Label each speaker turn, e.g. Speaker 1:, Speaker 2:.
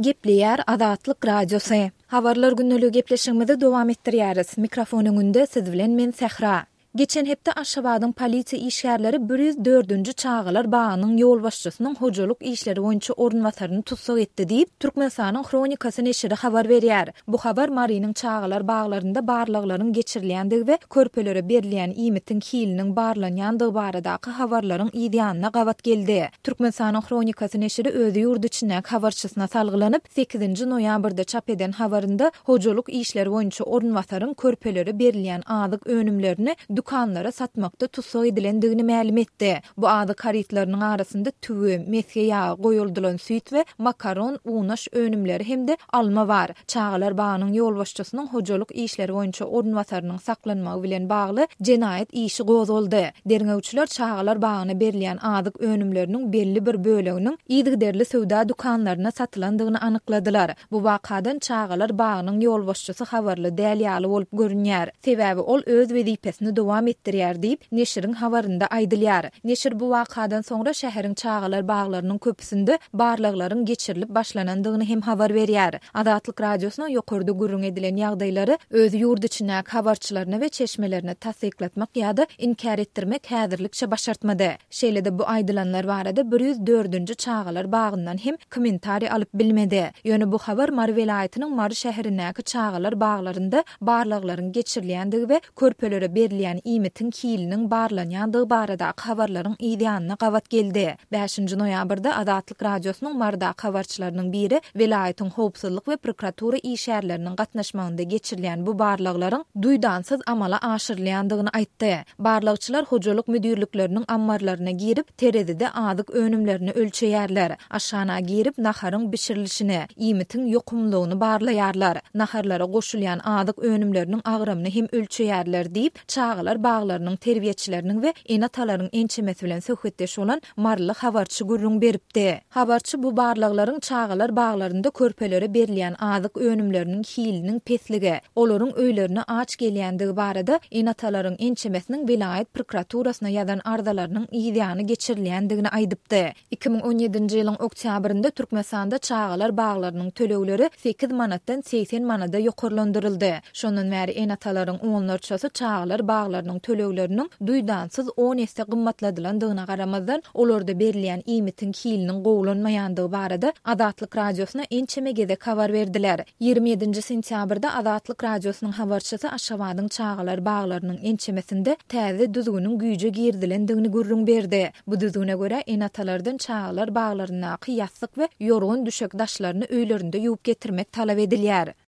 Speaker 1: Gepleýär Azatlyk Radiosy. Habarlar gündeligi gepleşigimizi dowam etdirýäris. Mikrofon öňünde siz bilen men Sähra. Geçen hepde Aşgabadyň polisiýa işgärleri 104-nji çagalar bagynyň ýolbaşçysynyň hojalyk işleri boýunça orunbasaryny tussag etdi diýip, Türkmenistanyň Hronikasy neşiri habar berýär. Bu habar Marynyň çagalar baglarynda barlaglaryň geçirilýändigi we körpelere berilýän iýmitiň hiliniň barlanýandygy baradaky habarlaryň yzýanyna gabat geldi. Türkmenistanyň Hronikasy neşiri öz ýurt içindäki habarçysyna salgylanyp, sekizinji noýabrda çap eden habarynda hojalyk işleri boýunça orunbasaryň körpelere berilýän azyk önümlerini dükanlara satmakda tussag edilendigini mälim etdi. Bu azyk harytlarynyň arasynda tüwi, mesge ýagy, goýaldylan süýt we makaron, unaş önümleri hem-de alma bar. Çagalar bagynyň ýolbaşçysynyň hojalyk işleri boýunça orunbasarynyň saklanmagy bilen bagly jenaýat işi gozgaldy. Derňewçiler çagalar bagyna berilýän azyk önümleriniň belli bir böleginiň yzygiderli söwda dükanlarynda satylandygyny anykladylar. Bu wakadan çagalar bagynyň ýolbaşçysy habarly däl ýaly bolup görünýär. Sebäbi ol öz wezipesini dowam etdirýär diýip, neşiriň habarynda aýdylýar. Neşir bu wakadan soňra şäheriň çagalar baglarynyň köpüsinde barlaglaryň geçirilip başlanandygyny hem habar berýär. Azatlyk Radiosyna ýokarda gürrüň edilen ýagdaýlary öz ýurt içindäki habarçylaryna we çeşmelerine tassyklatmak ýa-da inkär etdirmek häzirlikçe başartmady. Şeýle-de bu aýdylanlar barada 104-nji çagalar bagyndan hem kommentariý alyp bilmedi. Ýöne bu habar Mary welaýatynyň Mary şäherindäki çagalar baglarynda barlaglaryň geçirilýändigi we körpelere berilýän iýmitiň hiliniň barlanýandygy baradaky habarlaryň yz ýanyna gabat geldi. Bäşinji noýabrda Azatlyk Radiosynyň Marydaky habarçylarynyň biri welaýatyň howpsuzlyk we prokuratura işgärleriniň gatnaşmagynda geçirilýän bu barlaglaryň duýdansyz amala aşyrylýandygyny aýtdy. Barlagçylar hojalyk müdirlikleriniň ammarlaryna girip, terezide azyk önümlerini ölçeýärler. Aşhana girip, naharyň bişirilişini, iýmitiň ýokumlylygyny barlaýarlar. Naharlara goşulýan azyk önümleriniň agramyny hem ölçeýärler diýip, çagalar baglarynyň terbiýeçileriniň we ene-atalaryň ençemesi bilen söhbetdeş bolan maryly habarçy gürrüň beripdi. Habarçy bu barlaglaryň çagalar baglarynda körpelere berilýän azyk önümleriniň hiliniň pesligi, olaryň öýlerine aç gelýändigi barada ene-atalaryň ençemesiniň welaýat prokuraturasyna ýazan arzalarynyň yzýany geçirilýändigini aýdypdy. 2017-nji ýylyň oktýabrynda Türkmenistanda çagalar baglarynyň tölegleri sekiz manatdan 80 manada ýokarlandyryldy. Şondan bäri ene-atalaryň onlarçasy çagalar baglarynyň tölegleriniň duýdansyz on esse gymmatladylandygyna garamazdan, olarda berilýän iýmitiň hiliniň gowulanmaýandygy barada Azatlyk Radiosyna ençeme gezek habar berdiler. 27-nji sentýabrda Azatlyk Radiosynyň habarçysy Aşgabadyň çagalar baglarynyň ençemesinde täze düzgüniň güýje girizilendigini gürrüň berdi. Bu düzgüne görä, ene-atalardan çagalar baglaryndaky ýassyk we ýorgan-düşek daşlaryny öýlerinde ýuwup getirmek talap edilýär.